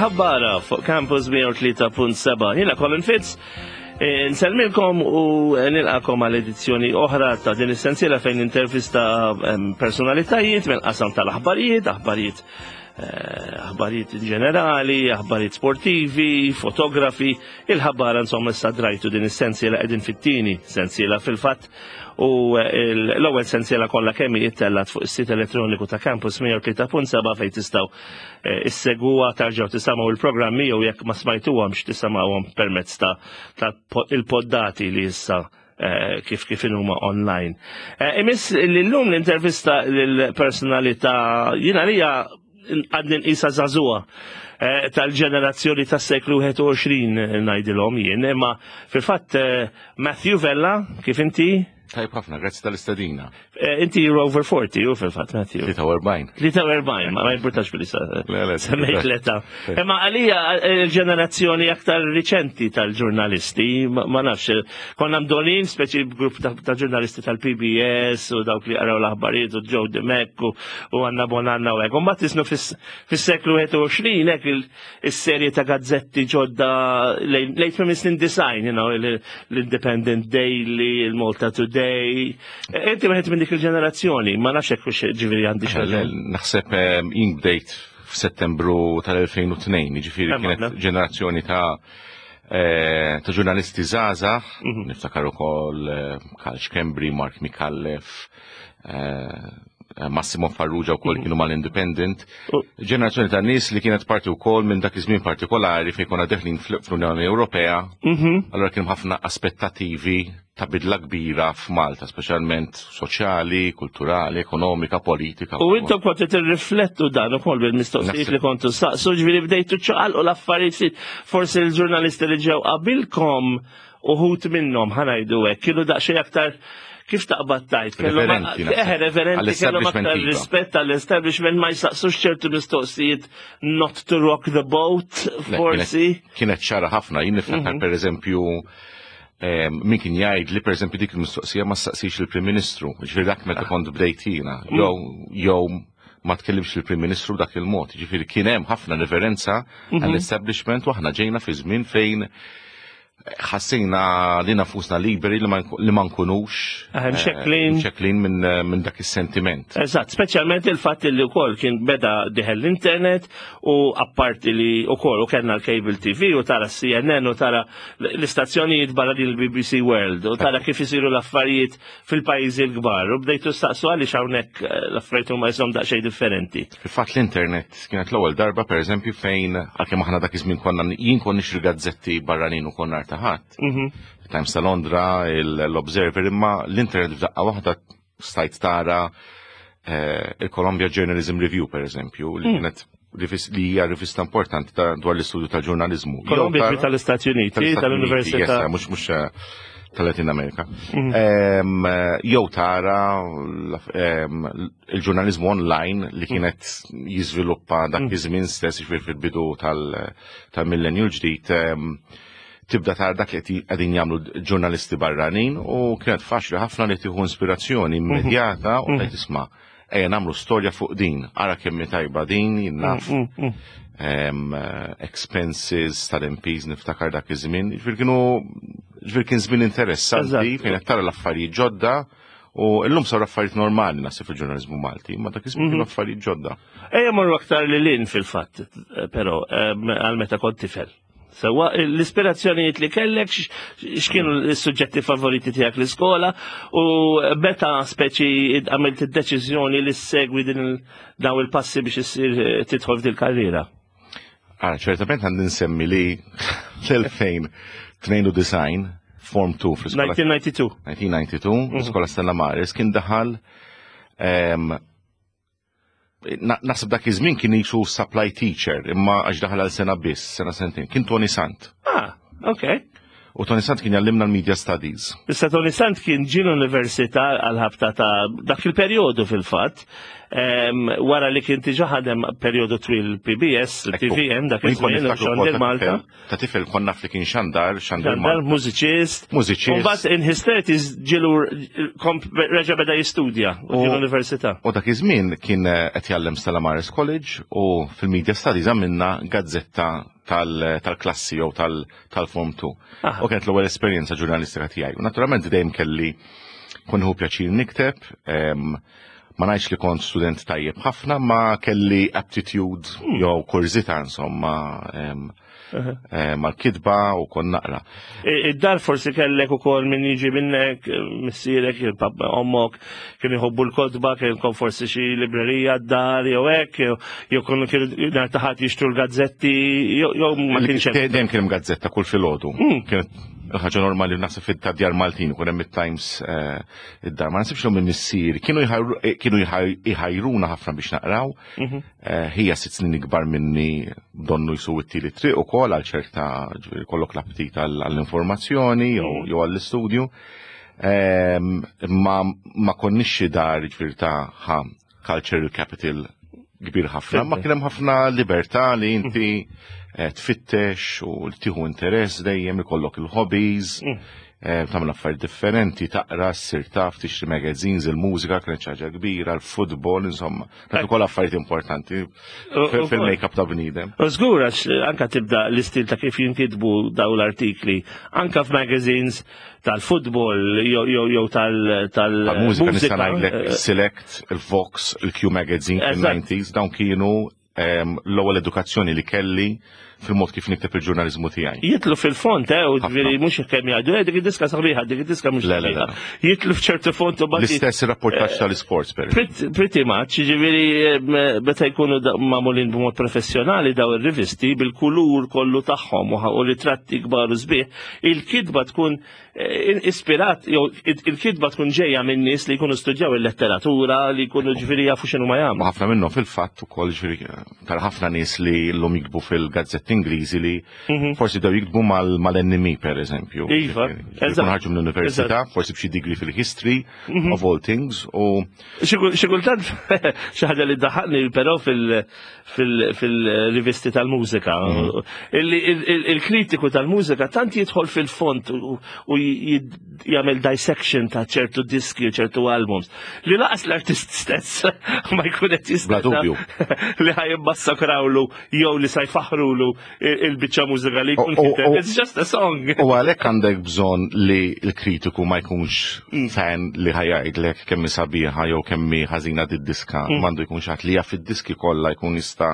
Il-ħabbara fuq Campus 103.7. Jiena Colin Fitz, eh, Nsellmilkom u nilqakom għal edizzjoni oħra ta' din is-sensiela fejn intervista ehm, personalitajiet mill-qasam tal-aħbarijiet, aħbarijiet eh, aħbarijiet in ġenerali, aħbarijiet sportivi, fotografi, il-ħabbara insomma issa drajtu din is-sensiela qegħdin fit-tieni sensiela fil-fatt U l-ewwel sensiela kollha kemm hi ttellgħet fuq is-sit elettroniku ta' Campus 103.7 fejn tistgħu eh, isseguha tarġgħu tisimgħu il-programmi jew jekk ma smajtuhomx tisimgħuhom permezz ta' il-poddati li issa eh, kif kif huma online. Eh, imiss li llum l-intervista lill-personalità jiena lija għadni nqisa żagħżugħa eh, tal-ġenerazzjoni tas-seklu 21 eh, ngħidilhom jien, imma fil-fatt eh, Matthew Vella, kif inti? Tajb ħafna, grazzi tal-istadina. Inti you're over 40, u fil-fatt, Matthew. 43. 43, ma ma jimpurtax billi semmejt l-età. Imma għalija il-ġenerazzjoni aktar riċenti tal-ġurnalisti, ma nafx, Konna mdolin, speċi grupp ta' ġurnalisti tal-PBS u dawk li għaraw l-aħbarijiet u Joe Dimek u Anna Bonanna u hekk. U mbagħad isnu fis-seklu 21 hekk is-serje ta' gazzetti ġodda lejn tmiem snin design, you know, l-Independent Daily, il-Malta Today. E, inti wieħed minn dik il-ġenerazzjoni, ma nafx hekk ġifieri għandi xi. Naħseb eh, jien bdejt f'Settembru tal-2002, ġifieri kienet ġenerazzjoni ta' Eh, ta' ġurnalisti żgħażagħ, mhm. niftakar ukoll eh, Karl Schembri, Mark Mikallef, eh, Massimo Farrugia wkoll mhm. kienu mal-Independent. Ġenerazzjoni ta' nies li kienet parti wkoll minn dak iż-żmien partikolari fejn konna deħlin fl-Unjoni Ewropea, mhm. allura kienu ħafna aspettativi ta' bidla kbira f'Malta, speċjalment soċjali, kulturali, ekonomika, politika. U intom kontu tirriflettu dan ukoll bil-mistoqsijiet li kontu saqsu, ġifieri bdejtu ċaqalqu l-affarijiet forsi l-ġurnalisti li ġew qabilkom uħut minnhom ħanajdu hekk, kienu daqsxejn aktar kif taqbad tajt? Reverenti. Eh, reverenti kellhom aktar iva. rispett għall-establishment ma jsaqsux ċertu mistoqsijiet not to rock the boat, forsi. Kienet ċara ħafna, jien niftakar mhm. per eżempju min kien jgħid li pereżempju dik il-mistoqsija ma staqsix il-Prim Ministru, ġifieri dak meta kont bdejtina, mm. jew jew ma tkellimx il-Prim Ministru dak il-mod, ġifieri kien hemm ħafna referenza mhm. għall-establishment u aħna ġejna fi żmien fejn ħassejna li nafusna liberi li ma nkunux eh, mxekklin mxekklin minn min dak is-sentiment. Eżatt, speċjalment il-fatt li wkoll kien beda diħel l-internet u apparti li wkoll u kellna l-cable TV u tara CNN u tara l-istazzjonijiet barra din il-BBC World u tara kif isiru l-affarijiet fil-pajjiżi l-kbar u bdejtu staqsu għaliex hawnhekk eh, l-affarijiet huma jisom daqsxejn differenti. Fil-fatt l-internet kienet l-ewwel darba pereżempju fejn għalkemm aħna dak iż-żmien konna jien kont nixtri gazzetti barranin u konna taħat. Mhm. Times ta' Londra, l-Observer, imma l-internet f'daqqa waħda stajt tara eh, il-Columbia Journalism Review, per eżempju, li hmm. kienet li hija rivista importanti dwar l-istudju tal-ġurnalizmu. Columbia tal-Istati Uniti, tal-Università. Mhux mhux eh, tal-Latin Amerika. Hmm. Eh, jew tara il-ġurnalizmu online li hmm. kienet jiżviluppa dak iż-żmien stess fil-bidu tal-millenju l-ġdid tibda tara dak li qegħdin jagħmlu ġurnalisti barranin u kienet faċli ħafna li tieħu inspirazzjoni mhm. immedjata u mhm. qed isma' ejja nagħmlu storja fuq din, ara kemm tajba din, naf mhm, expenses tal-MPs niftakar dak iż-żmien. Ġifier kienu ġifier kien żmien interessanti fejn qed tara l-affarijiet ġodda u llum saru affarijiet normali naħseb fil-ġurnaliżmu Malti, ma dak iż-żmien kienu affarijiet ġodda. Ejja morru aktar lil hinn fil-fatt, però għal meta kont tifel. Sewa, l-ispirazzjonijiet li kellek, x'kienu s-suġġetti favoriti tiegħek l-iskola u meta speċi għamilt id-deċiżjoni li segwi din daw il-passi biex issir eh, tidħol f'dil karriera? Ah, ċertament għandi nsemmi li l-2092 Form 2 fl-iskola. 1992. 1992, mhm. l-iskola Stella Maris kien daħal ehm, Naħseb dak iż-żmien kien jisu supply teacher, imma għax daħal għal sena biss, sena sentejn. Kien Tony Sant. Ah, ok. U Tony Sant kien jallimna l-Media Studies. Issa Tony Sant kien ġie l-università għal-ħabta ta' dak il-perjodu fil-fatt, wara li kien diġà ħadem perjodu twil PBS, TVM, dak iż-żmien, xandir Malta. Ta' tifel konna li kien xandar, xandar Malta. Mużiċist. Mużiċist. U mbagħad in his 30s ġilu reġa' beda jistudja l-università. U dak iż-żmien kien eh, qed jgħallem Stella Maris College u fil-Media Studies għamilna gazzetta tal-klassi jew tal-Form 2. U kienet l-ewwel esperjenza ġurnalistika tiegħi. U naturalment dejjem kelli kun hu pjaċir nikteb, ma ngħidx li kont student tajjeb ħafna, ma kelli aptitude hmm. jew kurżità insomma eh, mal-kitba u kon naqra. Id-dar forsi kellek ukoll min jiġi minnek, missierek, ommok, kienu jħobbu l-kotba, kienkom forsi xi librerija d-dar jew hekk, jew kienu kienu nhar taħat jixtru l-gazzetti, jew ma kienx hemm. Dejjem kien hemm gazzetta kull filgħodu. Hmm. Kienet ħaġa normali naħseb fit-djar Maltin ikun hemm it-Times eh, id-dar. Ma nasibx minn missier kienu eh, kienu jħajruna ħafna biex naqraw. Mhm. Eh, ħija sitt snin ikbar minni donnu jisu it-tieli triq ukoll għal ċerta kollok l-aptit għall-informazzjoni jew mhm. għall-istudju. Ma ma konniex xi dar ġifieri ta' ħa cultural capital kbir ħafna, ma kien hemm ħafna libertà li inti eh, tfittex u li tieħu interess dejjem ikollok il-hobbies, mm. eh, tagħmel affarijiet differenti, taqra, ssir taf, tixtri magazines, il-mużika kienet ħaġa kbira, l-futbol, insomma. Kienet ukoll affarijiet importanti fil-make-up ta' bniedem. U żgur għax anka tibda l-istil ta' kif jinkitbu daw l-artikli, anka f'magazines tal-futbol jew tal-mużika. Nista' ngħidlek eh, Select, il-Vox, il-Q Magazine fil-90s, dawn kienu ehm, l-ewwel edukazzjoni li kelli fil-mod kif nikteb il-ġurnalizmu tiegħi. Jitlu fil-font, eh, u ġifieri mhux kemm jgħidu, eh, dik id-diska sabiħa, dik id-diska mhux sabiħa. Jitlu f'ċertu font u L-istess rapportaġġ eh, tal-isports per. Pretty much, ġifieri eh, meta jkunu magħmulin b'mod professjonali daw ir-rivisti bil-kulur kollu tagħhom u ritratti kbar u sbieħ, il-kitba tkun eh, ispirat, jew il-kitba tkun ġejja minn nies li jkunu studjaw il-letteratura, li jkunu ġifieri jafu x'inhu ma jagħmlu. Ħafna minnhom fil-fatt ukoll ġifieri tara ħafna nies li llum jiktbu fil-gazzetti Ingliżi li mhm. forsi dew jiktbu mal-NME per eżempju. Iva, eżatt. Ħarġu mill-università, forsi b'xi degree fil-history mhm. of all things u Xi kultant xi ħaġa li daħaqni però fil-rivisti tal-mużika. Mhm. Il-kritiku tal-mużika tant jidħol fil-font u jagħmel dissection ta' ċertu diski u ċertu albums li laqas l-artist stess ma jkun qed jistenna li ħaj jimmassakrawlu jew li sa jfaħrulu il-biċċa mużika li jkun kiteb. It's just a song. U għalhekk għandek bżonn li l-kritiku ma jkunx mm. fan li ħajajdlek kemm sabiħa jew kemm ħażina did-diska, mm. m'għandu jkun xi li jaf id-diski kollha jkun jista'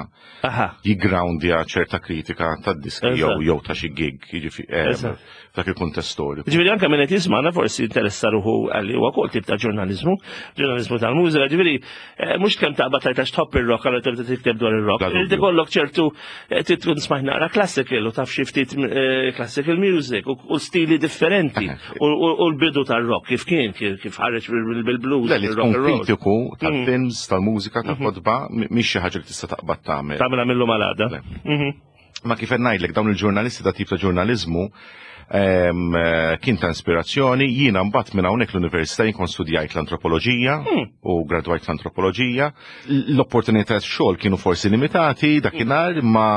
jiggroundja ċerta kritika tad-diski jew jew ta' xi gig, jiġifieri eh, dak il-kuntest storiku. Ġifieri anke minn qed jisma'na forsi interessa ruħu għalli huwa kol tip ta' ġurnaliżmu, ġurnaliżmu tal-mużika, ġifieri eh, mhux kemm taqbad tajt għax tħobb ir-rock allura tibda tikteb dwar ir-rock. Irid ikollok ċertu eh, tkun smajt naqra classical u taf xi ftit eh, classical music u stili differenti u l-bidu tar-rock kif kien kif ħareġ bil-blues. Le li tkun kritiku tal-films, tal-mużika, tal-kotba, mhix xi ħaġa li tista' taqbad tagħmel. Tagħmilha millu malada. Mhm. Ma kif qed ngħidlek dawn il-ġurnalisti ta' tip ta' ġurnaliżmu eh, kien ta' ispirazzjoni, jiena mbagħad minn hawnhekk l-università jien kont studjajt l-antropoloġija hmm. u gradwajt l-antropoloġija. L-opportunità xogħol kienu forsi limitati dakinhar ma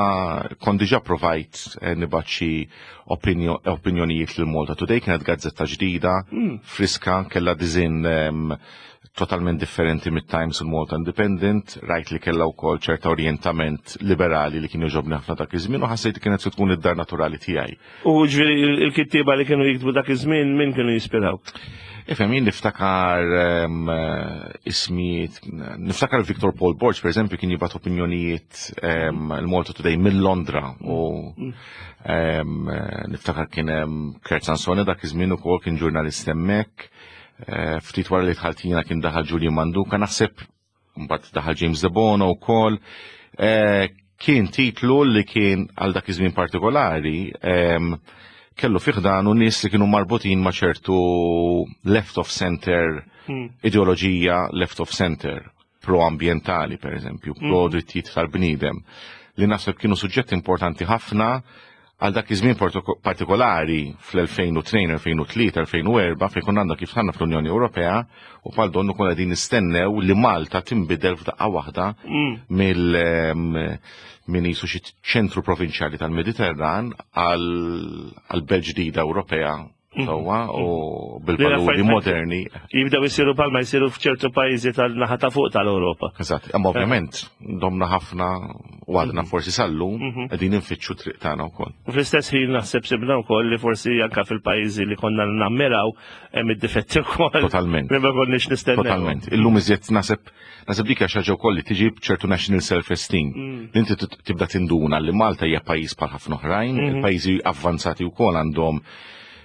kont diġà provajt eh, nibgħat xi opinjonijiet lil Malta Today kienet gazzetta ġdida, hmm. friska, kellha diżin totalment differenti mit-Times u l-Malta Independent, rajt li kellha wkoll ċerta orjentament liberali li kien jogħġobni ħafna dak iż-żmien u ħassejt li kienet se tkun id-dar naturali tiegħi. U ġifieri il-kittieba li kienu jiktbu dak iż-żmien min kienu jispiraw? Ifhem jien niftakar ehm, ismijiet, niftakar Victor Paul Borg per eżempju kien jibgħat opinjonijiet ehm, il-Malta Today mill-Londra u mm. ehm, niftakar kien hemm Kurt Sansone dak iż-żmien ukoll kien ġurnalist hemmhekk. Eh, ftit wara li dħalt jiena kien daħal Julian Manduka, naħseb mbagħad daħal James De Bono wkoll. Eh, kien titlu li kien għal dak iż-żmien partikolari ehm, kellu fih dan u nies li kienu marbutin ma' ċertu left of center hmm. ideoloġija left of center pro-ambientali per eżempju, hmm. pro drittijiet tal-bniedem li naħseb kienu suġġetti importanti ħafna. Għal dak iż-żmien partikolari fl-2002, 2003, 2004 fejn konna għandna kif ħanna fl-Unjoni Ewropea u bħal donnu konna qegħdin nistennew li Malta tinbidel f'daqqa waħda mill min jisu xi ċentru provinċjali tal-Mediterran għal belt ġdida Ewropea sewwa u bil-valuri moderni. Jibdew isiru palma jsiru f'ċertu pajjiżi tal-naħa ta' fuq tal-Ewropa. Eżatt, imma ovvjament domna ħafna u għadna forsi sallum qegħdin infittxu triq tagħna wkoll. U fl-istess ħin naħseb sibna wkoll li forsi anke fil-pajjiżi li konna nammiraw hemm id-difetti wkoll. Totalment. Li ma konniex nistennew. Totalment. Illum iżjed naħseb naħseb dik hija xi ħaġa wkoll li tiġi b'ċertu national self-esteem. Li inti tibda tinduna li Malta hija pajjiż bħal ħafna oħrajn, il-pajjiżi avvanzati wkoll għandhom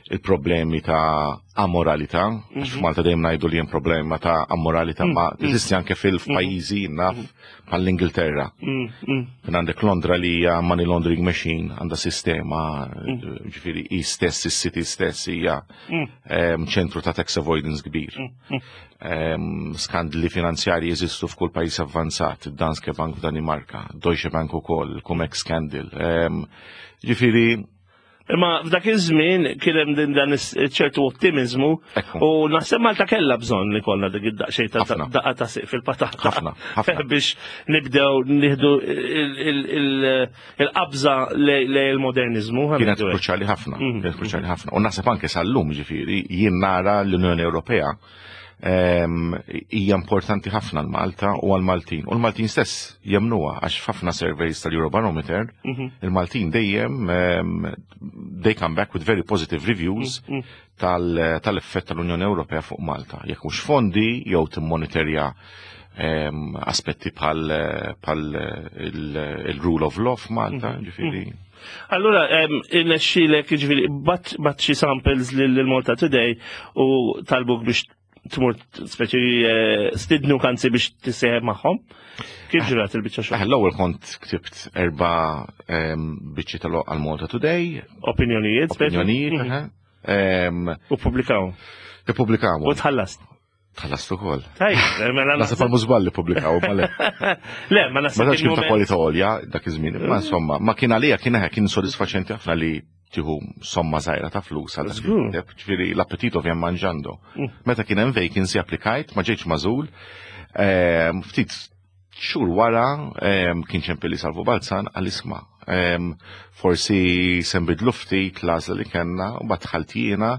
il-problemi ta' amoralità, għax f'Malta dejjem ngħidu li hemm problema ta' amoralità, ma teżisti anke fil-pajjiżi naf bħall-Ingilterra. Kien għandek Londra li hija money laundering machine, għandha sistema, ġifieri hi stess, is-city stess hija ċentru ta' tax avoidance kbir. Skandli finanzjarji jeżistu f'kull pajjiż avvanzat, Danske Bank f'Danimarka, Deutsche Bank ukoll, Cum-Ex scandal. Ġifieri Imma f'dak iż-żmien kien hemm din dan ċertu ottimizmu u naħseb Malta kellha bżonn li kollha dik id-daqsxejn ta' daqqa ta' siq fil-patata. Ħafna, ħafna. Biex nibdew nieħdu il-qabża lejn il-modernizmu. Kienet kruċjali ħafna, kienet kruċjali ħafna. U naħseb anke sal-lum ġifieri jien nara l-Unjoni Ewropea hija importanti ħafna l-Malta u għal-Maltin. U l-Maltin stess jemnuha għax f'ħafna surveys tal-Eurobarometer, il-Maltin dejjem they come back with very positive reviews tal-effett tal-Unjoni Ewropea fuq Malta. Jekk mhux fondi jew timmonitorja aspetti bħal il-rule of law f'Malta, ġifieri. Allura, irnexxielek, ġifieri, bgħatt xi samples lil Malta Today u talbuk biex tmur speċi stidnu kanzi biex tissieħeb magħhom. Kif ġrat il-biċċa xogħol? L-ewwel kont ktibt erba' biċċi tal għal Malta Today. Opinjonijiet, speċi? Opinjonijiet, aha. U publikaw. Ippubblikaw. U tħallast. Tħallast ukoll. Tajjeb, mela Naħseb għal mużball li pubblikaw, ma le. Le, ma naħseb Ma tantx kien ta' il-moment- kwalità għolja dak iż-żmien, imma insomma, ma kien għalija kien eħe kien sodisfaċenti ħafna li tieħu somma żgħira ta' flus għal dak il-kiteb, ġifieri l-appetit ovvjament manġando. Meta kien hemm vacancy applikajt, ma ġejtx magħżul. Ftit xhur wara kien ċempilli Salvu Balzan għal isma'. Forsi se nbidlu ftit l-għażla li kellna u mbagħad dħalt jiena.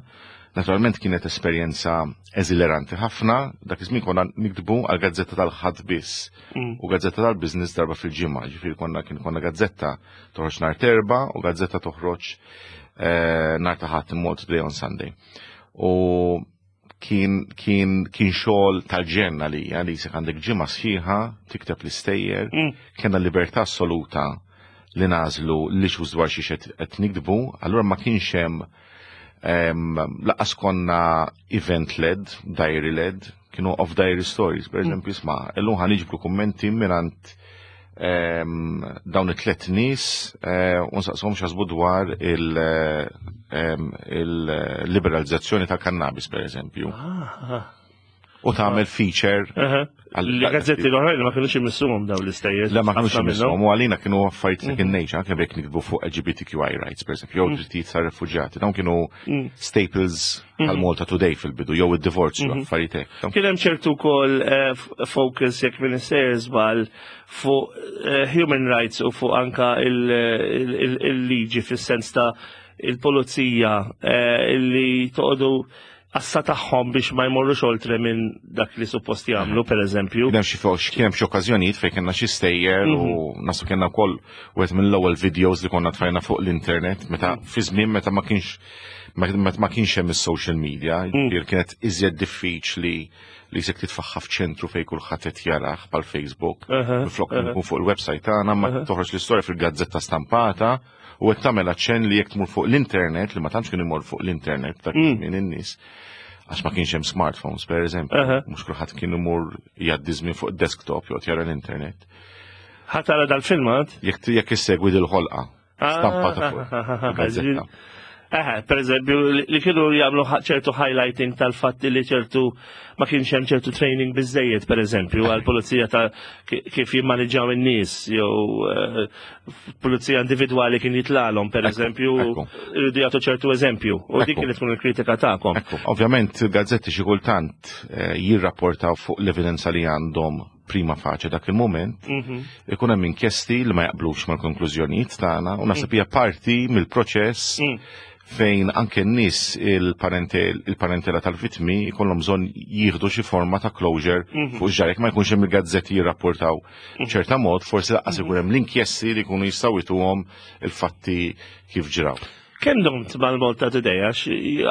Naturalment kienet esperjenza eżileranti ħafna, dak iż-żmien konna niktbu għal gazzetta tal-Ħadd biss u gazzetta tal-business darba fil-ġimgħa, ġifieri konna kien konna gazzetta toħroġ nhar t'Erbgħa u gazzetta toħroġ nhar ta' Ħadd, Malta Today on Sunday. U kien xogħol tal-ġenna li li jisek għandek ġimgħa sħiħa tikteb l-istejjer, kellna libertà assoluta li nagħżlu li xu dwar xi qed niktbu, allura ma kienx hemm lanqas konna event-led, diary-led, kienu off-diary stories, per eżempju, isma', illum ħa niġbru kummenti mingħand dawn it-tlet nies u nsaqshom x'jaħsbu dwar il-liberalizzazzjoni tal-kannabis, per eżempju. U tagħmel feature. Li gazzetti l-oħrajn ma kienux imissuhom dawn l-istejjer. Le ma kienux imissuhom, u għalina kienu affarijiet second nature, anke jekk nikbu fuq LGBTQI rights, per eżempju, jew drittijiet tar-refuġjati. Dawn kienu staples tal-Malta Today fil-bidu, jew id-divorzju, affarijiet hekk. Kien hemm ċertu wkoll focus jekk m'iniex żball fuq human rights u fuq anka il-liġi fis-sens ta' il-pulizija li toqgħodu għassa tagħhom biex ma jmorrux oltre minn dak li suppost jagħmlu, per eżempju. Kien hemm xi kien hemm xi okkażjonijiet fejn kellna xi stejjer u nasu kellna wkoll wieħed mill-ewwel videos li konna tfajna fuq l-internet meta fi żmien meta ma kienx meta ma kienx hemm is-social media, ġifieri kienet iżjed diffiċli li jisek titfaħħa f'ċentru fejn kulħadd qed jarah bħal Facebook. Minflok nkun fuq il-website tagħna ma toħroġ l-istorja fil-gazzetta stampata u qed tagħmel aċċenn li jekk tmur fuq l-internet, li ma tantx kien imur fuq l-internet dak minn in-nies, għax ma kienx hemm smartphones per eżempju, mhux kulħadd kien imur jgħaddi żmien fuq desktop jew jara l-internet. Ħa tara dal-filmat? Jekk issegwi dil-ħolqa stampata fuq il-gazzetta. Eħe, per eżempju, li kienu jagħmlu ċertu highlighting tal-fatti li ċertu ma kienx hemm ċertu training biżejjed, per eżempju, għal pulizija ta' kif jimmaniġġaw in-nies jew eh, pulizija individwali kien jitlalhom, per eżempju, irridu jagħtu ċertu eżempju. U dik kienet tkun il-kritika tagħkom. Ovvjament, il-gazzetti xi kultant eh, jirrapportaw fuq l-evidenza li għandhom prima faċe dak il-moment, mhm. ikun hemm inkjesti li ma jaqblux mal-konklużjonijiet tagħna u naħseb hija parti mill-proċess mm. fejn anke n-nies il-parentela tal-vittmi jkollhom bżonn jieħdu xi forma ta' closure mhm. fuq ġarek ma jkunx hemm il-gazzetti jirrapportaw mhm. ċerta mod, forsi laqqas ikun hemm l-inkjesti li jkunu jistgħu jtuhom il-fatti kif ġraw. Kemm domt mal-Malta Today, għax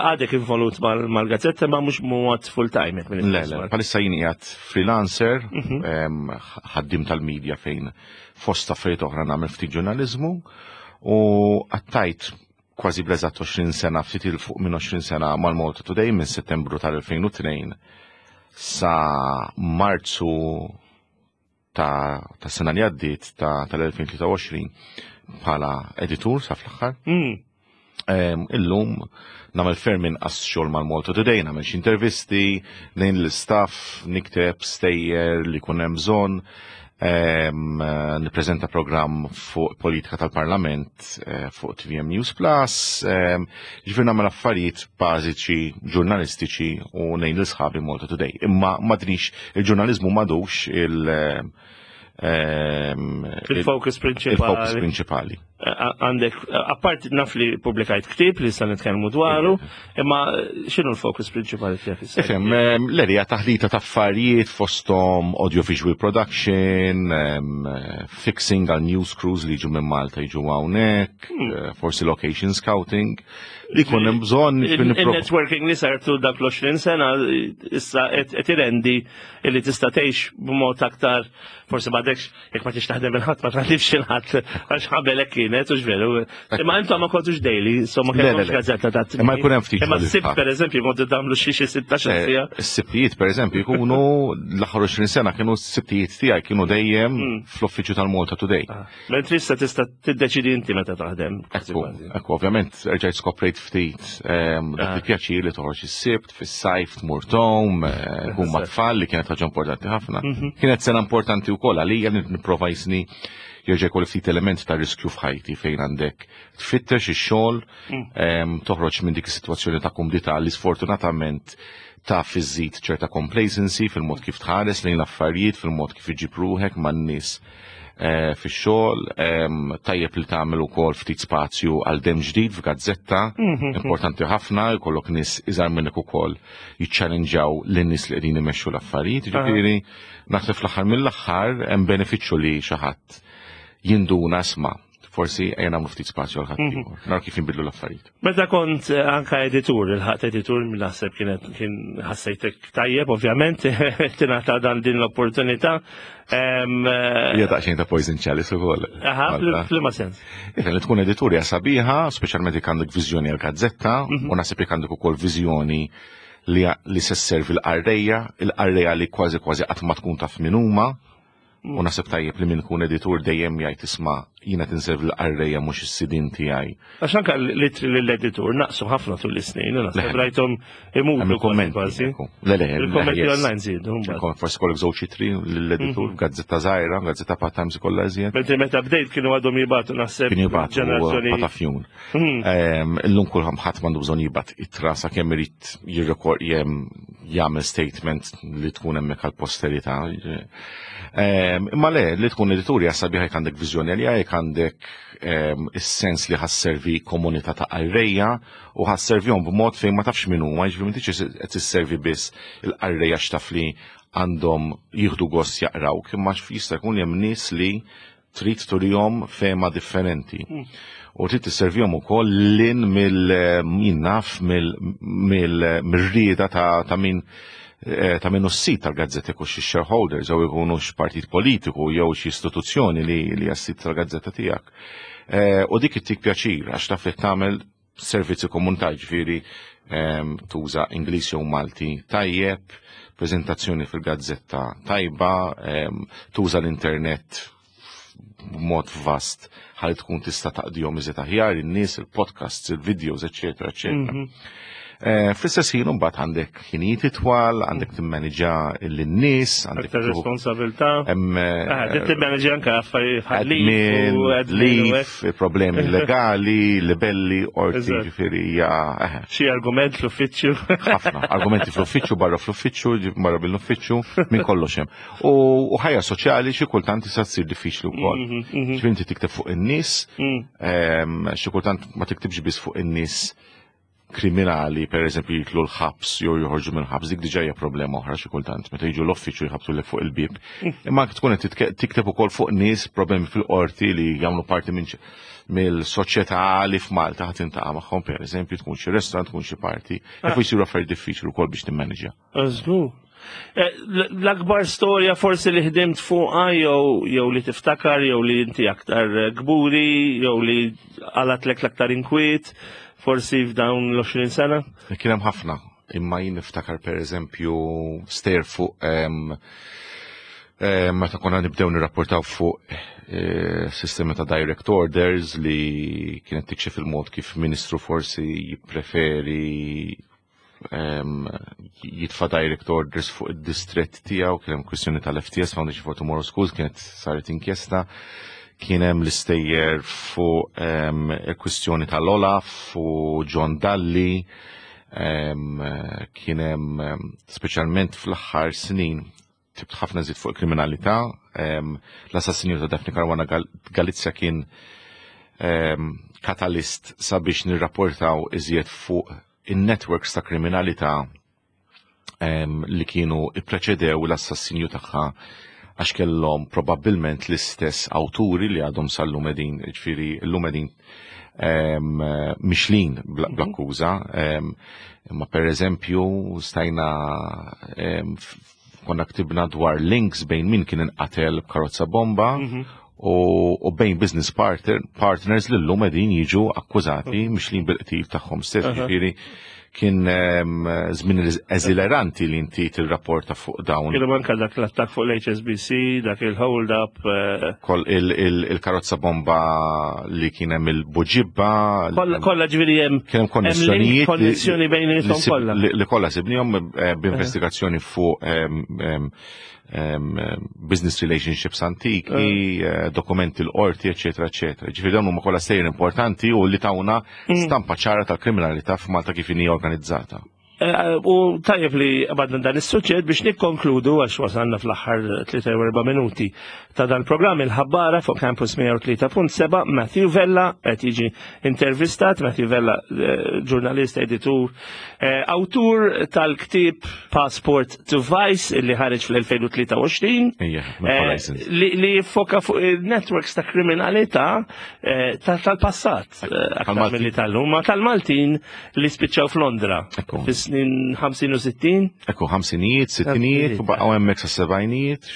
għadek involut mal-gazzetta ma mhux mod full time. Le, le, palissa jien qiegħed freelancer, mhm. ħaddim tal-medja fejn fost affarijiet oħra nagħmel ftit ġurnaliżmu u għattajt kważi bleżat 20 sena, ftit il fuq minn 20 sena mal-Malta Today minn Settembru tal-2002 sa Marzu ta' ta' sena li għaddiet ta' tal-2023 bħala editur sa fl-aħħar. Mm. Illum nagħmel ferm inqas xogħol mal-Malta Today, nagħmel xi intervisti, nejn l-istaff, nikteb stejjer li jkun hemm bżonn, nippreżenta programm fuq politika tal-Parlament eh, fuq TVM News Plus, ġifier nagħmel affarijiet bażiċi ġurnalistiċi u nejn l-sħabi Malta Today. Imma madrix il-ġurnaliżmu madux il- ehm, il-focus prinċipali. Il-focus prinċipali. Għandek, apart naf li publikajt ktib li sa nitkellmu dwaru, imma x'inhu l-focus prinċipali tiegħek issa? Ifhem, ehm, l-erja taħlita ta' affarijiet fosthom audiovisual production, ehm, fixing għal news crews li jiġu minn Malta jiġu hawnhekk, hmm. eh, forsi location scouting. Li jkun hemm bżonn. Il-networking li sartu dak l-20 sena issa qed irendi li tista' tgħix b'mod aktar forsi m'għadekx jekk ma tix taħdem il-ħadd ma taħdimx il-ħadd għax qabel hekk kienet u veru. Imma intom ma kontux daily, so ma kellhomx gazzetta ta' Imma jkun hemm ftit. Imma s-sibt pereżempju kontu tagħmlu xi xi 16 eh, sija. Is-sibtijiet pereżempju jkunu l-aħħar 20 sena kienu s-sibtijiet tiegħi kienu dejjem hmm. fl-uffiċċju tal-Malta Today. Ah. Mentri issa tista' tiddeċidi inti meta taħdem. Ekku, ekku, ovvjament rġajt skoprejt ftit ehm, dak ah. il-pjaċir li toħroġ is-sibt, fis-sajf tmur tom, eh, kun ma' tfal li kienet ħaġa importanti ħafna. Mhm. Kienet sena importanti wkoll għalija li nipprova jisni jerġa' jkolli ftit element ta' riskju f'ħajti fejn għandek tfittex ix-xogħol, mm. ehm, toħroġ minn dik is-sitwazzjoni ta' kumdità li sfortunatament taf iżżid ċerta complacency fil-mod kif tħares lejn l-affarijiet, fil-mod kif iġib ruħek man-nies eh, fix-xogħol, ehm, tajjeb li tagħmel ukoll ftit spazju għal dem ġdid f'gazzetta, mhm. importanti ħafna, jkollok nies iżgħar minnek ukoll jiċċalenġaw lin-nies li qegħdin imexxu l-affarijiet, ġifieri naħseb fl-aħħar mill-aħħar hemm benefiċċju li xi ħadd jinduna sma' forsi ejja nagħmlu ftit spazju għal ħadd mhm. Naraw kif jinbidlu l-affarijiet. Meta kont eh, anka editur, il-ħadd editur naħseb kienet kien ħassejtek tajjeb, ovvjament, tingħata dan din l-opportunità. Eh, hija daqsxejn ta' poison chalice ukoll. Aha, f'liema sens. Iva, li tkun editur hija sabiħa, speċjalment jekk għandek viżjoni għal gazzetta, mhm. u naħseb jekk għandek ukoll viżjoni li, li se sservi l-qarrejja, il-qarrejja li kważi kważi qatt ma tkun taf min huma, U naħseb tajjeb li min ikun editur dejjem jgħid isma' jiena tinservi l-qarrejja mhux is-sidien tiegħi. Għax anke l-ittri lill-editur naqsu ħafna tul is-snin, naħseb rajthom imutu kważi. Le le, il-kommenti online żiedu. Forsi kollok żewġ ittri lill-editur mhm. gazzetta żgħira, gazzetta part-times ikollha iżjed. Mentri meta bdejt kienu għadhom jibgħatu naħseb. Kienu jibgħatu ġenerazzjoni. Patafjun. Mhm. Illum kulħadd ħadd m'għandu bżonn jibgħat ittra sakemm irid jirrekord jagħmel statement li tkun hemmhekk għall-posterità. Ehm, imma le, li tkun editur hija sabiħa jekk għandek viżjoni għalija, jekk għandek ehm, is-sens li ħasservi komunità ta' qarrejja u ħasservihom b'mod fejn ma tafx min huma, jiġifieri m'intix qed tisservi biss il-qarrejja x'taf li għandhom jieħdu gost jaqrawk, imma jista' jkun li hemm nies li trid turihom fehma differenti. Hmm. U trid tisservihom ukoll lin mill min naf mill-rieda ta' min eh, ta' minnu s-sit tal-gazzetta jkun xi shareholders jew ikunu partit politiku jew xi istituzzjoni li li sit tal-gazzetta tiegħek. Eh, u dik ittik pjaċir għax taf li tagħmel servizzi komunità ġifieri ehm, tuża Ingliż jew Malti tajjeb, preżentazzjoni fil-gazzetta tajba, ehm, tuża l-internet b'mod vast ħalli tkun tista' taqdihom iżjed aħjar in-nies, il-podcasts, il-videos, eċetera, eċetera. Fl-istess ħin imbagħad għandek ħinijiet itwal, għandek timmaniġa lin-nies, għandek Aktar responsabilità. Hemm Timmanġa anke affarijiet admin, leave, problemi legali, libelli, qorti, ġifieri hija Xi argument fl-uffiċċju. Ħafna, argumenti fl-uffiċċju, barra fl-uffiċċju, barra bil-uffiċċju, minn kollox hemm. U ħajja soċjali xi kultant tista' tsir diffiċli wkoll. Ġifieri inti tikteb fuq in-nies, xi kultant ma tiktibx biss fuq in-nies kriminali, per eżempju, jitlu l-ħabs jew joħorġu minn ħabs, dik diġà hija problema oħra xi kultant, meta jiġu l-uffiċċju jħabtu lek fuq il-bieb. Imma anke tkun qed tikteb ukoll fuq nies problemi fil-qorti li jagħmlu parti minn mill-soċjetà li f'Malta ħadd intaqa' magħhom, per eżempju, tkun xi restaurant, tkun xi party, jaf jsiru affarijiet diffiċli wkoll biex timmaniġja. Żgur. L-akbar storja forsi li ħdimt fuqha jew li tiftakar jew li inti aktar kburi jew li għalatlek l-aktar inkwiet forsi f'dawn l-20 sena? Kien hemm ħafna, imma jien niftakar per eżempju stejjer fuq meta konna nibdew nirrapportaw fuq sistema ta' direct orders li kienet tikxef il-mod kif ministru forsi jippreferi jitfa' direct orders fuq id-distrett tiegħu, kien hemm kwistjoni tal-FTS, Foundation for Tomorrow Schools, kienet saret inkjesta, kien hemm l-istejjer fuq il-kwistjoni tal-Olaf u John Dalli, kien hemm speċjalment fl-aħħar snin ktibt ħafna żied fuq il-kriminalità, l-assassinju ta' Daphne Caruana Galizia kien katalist sabiex nirrapportaw iżjed fuq in-networks ta' kriminalità li kienu ippreċedew l-assassinju tagħha għax kellhom probabbilment l-istess awturi li għadhom sal-lum qegħdin, ġifieri llum qegħdin mixlin bl-akkuża. Imma per eżempju stajna konna ktibna dwar links bejn min kien inqatel b'karozza bomba u bejn business partners li llum qegħdin jiġu akkużati mixlin bil-qtil tagħhom stess. Ġifieri kien żmien eżileranti li inti tirrapporta fuq dawn. Kienu anke dak l-attakk fuq l-HSBC, dak il-hold up. Koll il-karozza bomba li kien hemm il-Buġibba. Kollha ġifieri hemm Kien hemm konnessjonijiet konnessjoni bejn li kollha. Li kollha sibnihom b'investigazzjoni fuq business relationships antiki, dokumenti l-qorti, eccetera, eccetera. Ġifieri dawn huma kollha stejjer importanti u li tawna stampa ċara tal-kriminalità f'Malta kif inhi organizzata. U tajjeb li għabadna dan is-suġġett biex nikkonkludu għax wasalna fl-aħħar 3-4 minuti ta' dan il-programm il-ħabbara fuq Campus 103.7. Matthew Vella qed jiġi intervistat. Matthew Vella, ġurnalist, editur, awtur tal-ktieb Passport to Vice li ħareġ fl-2023 Ejja, Horizons. li jiffoka fuq il-networks ta' kriminalità tal-passat, aktar Tal-Maltin. milli tal-lum, ma tal-Maltin li spiċċaw f'Londra fis-snin 50 u 60. Ekku, ħamsinijiet, sittinijiet, u baqgħu hemmhekk sa sebgħinijiet.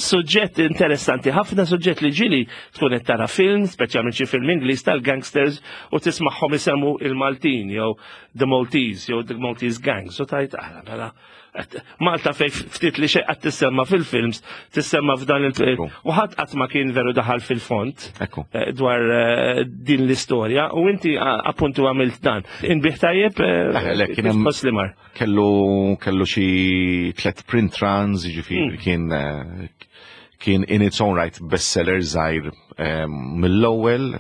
Suġġett interessanti, ħafna suġġett li ġieli tkun qed tara film, speċjalment xi film Ingliż tal-gangsters u tismagħhom isemmu il-Maltin jew The Maltese jew The Maltese Gangs u tajt aħna mela Malta fej ftit li xejn qatt tissemma fil-films, tissemma f'dan il- U ħadd qatt ma kien veru daħal fil-font dwar din l-istorja u inti appuntu għamilt dan. Inbigħ tajjeb, Le, le, kien kif hemm tħoss li mar? Kellu xi 3 print runs, jiġifieri kien in its own right bestseller żgħir mill-ewwel,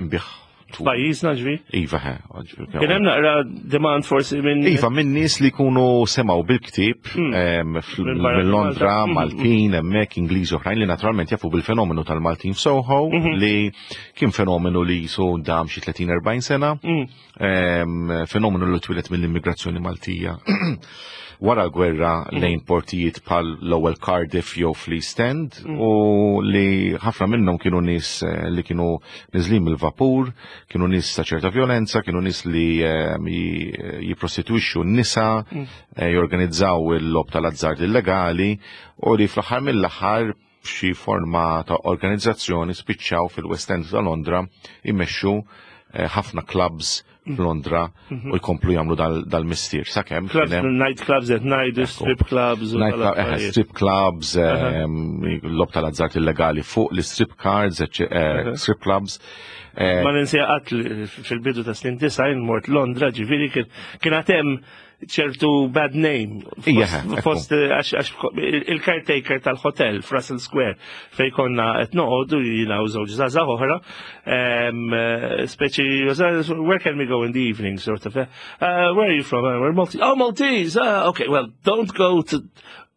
inbigħ Pajjiżna ġvi? Iva, he, ġvi, Kien hemm naqra demand forsi minn Iva, minn nies li jkunu semgħu bil-ktieb, Minn barra minn Londra, Malta. Maltin, hemmhekk Ingliżi oħrajn li naturalment jafu bil-fenomenu tal-Maltin f'Soho, li kien fenomenu li jisu dam xi 30-40 sena, fenomenu li twieled mill-immigrazzjoni Maltija wara l-gwerra lejn portijiet bħal l-ewwel Cardiff jew fl-East End, u li ħafna minnhom kienu nies li kienu niżlin mill-vapur, kienu nies ta' ċerta violenza, kienu nies li jipprostituixxu n-nisa, jorganizzaw il-logħob tal-azzard illegali, u li fl-aħħar mill-aħħar b'xi forma ta' organizzazzjoni spiċċaw fil-West End ta' Londra immexxu ħafna clubs f'Londra u jkomplu jagħmlu dal-mistier. Sakemm night clubs at night, strip clubs, eh, strip clubs, logħob tal-azzart illegali fuq l-strip cards, eh, strip clubs. Eh, Ma ninsi qatt fil-bidu ta' snin 90 mort Londra, ġifieri kien hemm ċertu bad name. Fost eh, għax il-caretaker tal-hotel f'Russell Square fej konna qed noqogħdu jiena u żewġ żgħażagħ oħra, eh, speċi where can we go in the evening sort of. Where are you from? We're Maltese. Oh, Maltese. Okay, well, don't go to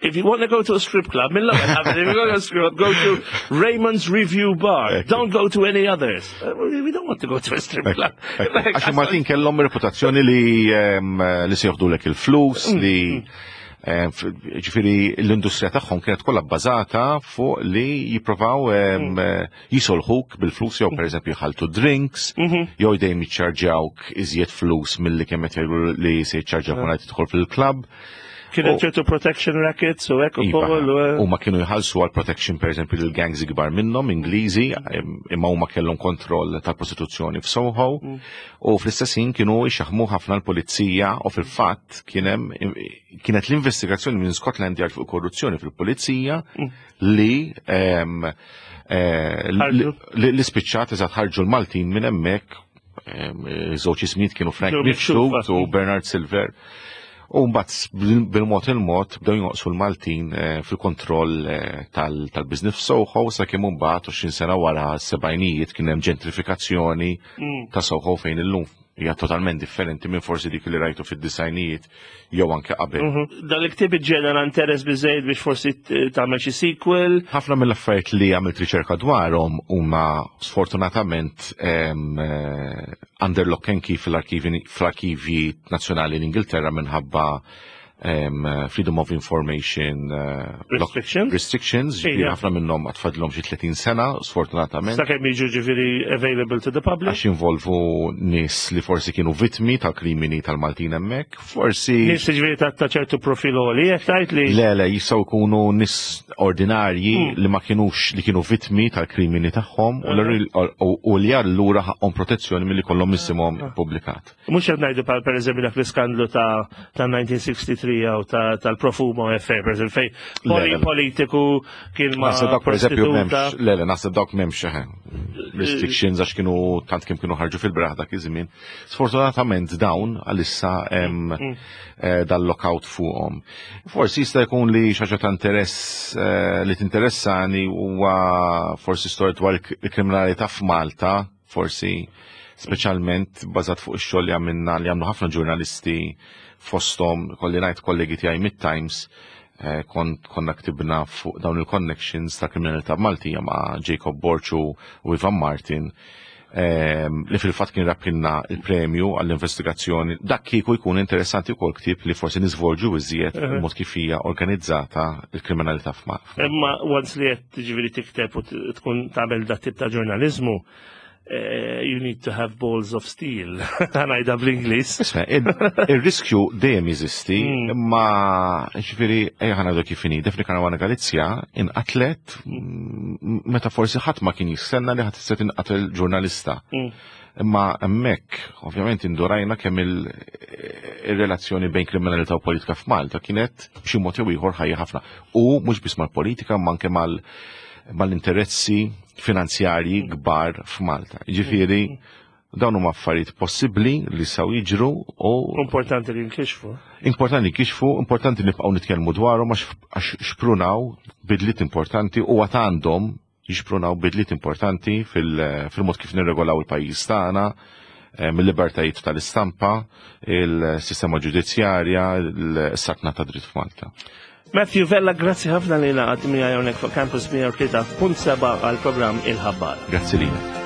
if you want to go to a strip club, if you go to a strip club, go to Raymond's Review Bar. Don't go to any others. We don't want to go to a strip club. Għax Maltin kellhom reputazzjoni li li se joħdulek il-flus, li ġifieri l-industrija tagħhom kienet kollha bbażata fuq li jipprovaw jisolħuk bil-flus jew pereżempju jħaltu drinks, jew dejjem jiċċarġjawk iżjed flus milli kemm qed jgħidu li se jiċċarġjawk meta tidħol fil-klabb. Kien ċertu protection rackets u hekk Iva, ukoll. Huma kienu jħallsu għal protection pereżempju lil gangs ikbar minnhom Ingliżi, imma huma kellhom kontroll tal-prostituzzjoni f'Soho u fl-istess ħin kienu jxaħmu ħafna l-pulizija u fil-fatt kien hemm kienet l-investigazzjoni minn Scotland Yard fuq korruzzjoni fil-pulizija li eh, li spiċċat eżatt ħarġu l-Maltin minn hemmhekk żewġ ismijiet kienu Frank Mifsud u Bernard Silver. U mbagħad bil-mod il-mod bdew jonqsu l-Maltin eh, fil-kontroll eh, tal-business f'Soho sakemm imbagħad 20 sena wara s-sebgħinijiet kien hemm ġentrifikazzjoni ta' Soho fejn illum hija totalment differenti minn forsi dik li rajtu fid-disajnijiet jew anke qabel. Dan il-ktieb iġġenera interess biżejjed biex forsi tagħmel xi sequel. Ħafna mill-affarijiet li għamilt riċerka dwarhom huma sfortunatament under lock and key fl-arkivi nazzjonali l-Ingilterra minħabba Freedom of Information Restrictions? Restrictions, ġifieri ħafna minnhom għad fadlhom xi 30 sena, sfortunatament. Sakemm jiġu ġifieri available to the public. Għax involvu nies li forsi kienu vittmi tal-krimini tal-Maltin hemmhekk, forsi. Nies ġifieri ta' ċertu profil għoli, qed tgħid li. Le, le, jistgħu jkunu nies ordinarji li ma kienux li kienu vittmi tal-krimini tagħhom u li allura ħaqhom protezzjoni milli kollhom isimhom ippubblikat. Mhux qed ngħidu bħal pereżempju dak l-iskandlu ta' 1963 jew tal-Profumo affair, pereżempju fejn poli politiku kien ma' Naħseb dawk pereżempju m'hemmx, le le naħseb dawk m'hemmx eh, restrictions għax kienu tant kemm kienu ħarġu fil-braħ dak iż-żmien. Sfortunatament dawn għalissa hemm eh, dal-lockout fuqhom. Forsi jista' jkun li xi ħaġa ta' interess eh, li tinteressani huwa forsi storja dwar il-kriminalità f'Malta forsi speċjalment bażat fuq ix-xogħol li għamilna li għamlu ħafna ġurnalisti fosthom kolli ngħid kollegi tiegħi mit-Times eh, konna ktibna fuq dawn il-connections ta' kriminalità Maltija ma' Jacob Borg u Ivan Martin li fil-fatt kien rabħilna il-premju għall-investigazzjoni. Dak kieku jkun interessanti wkoll ktieb li forsi niżvolġu iżjed mod kif hija organizzata il-kriminalità f'Malta. Imma once li qed ġifieri tikteb u tkun tagħmel dat tip ta' ġurnaliżmu, you need to have balls of steel. Ngħidha bl-Ingliż. Isma', il-riskju dejjem jeżisti, imma ġifieri ejja ħa ngħidu kif inhi. Daphne Caruana Galizia inqatlet meta forsi ħadd ma kien jistenna li ħadd tista' tinqatel ġurnalista. Imma hemmhekk, ovvjament indurajna kemm il-relazzjoni bejn kriminalità u politika f'Malta kienet b'xi mod jew ieħor ħajja ħafna. U mhux biss mal-politika, ma anke mal-interessi finanzjarji kbar f'Malta. Ġifieri, dawn huma affarijiet possibbli li saw jiġru u Importanti li nkixfu. Importanti li nkixfu, importanti nibqgħu nitkellmu dwarhom għax xprunaw bidliet importanti u għad għandhom jixprunaw bidliet importanti fil-mod kif nirregolaw il-pajjiż tagħna, mill-libertajiet tal-istampa, il-sistema ġudizzjarja, il-saltna ta' dritt f'Malta. Matthew Vella, grazzi ħafna li ngħaqadt miegħi hawnhekk fuq Campus 103.7 għal programm Il-Ħabbar. Grazzi lilek.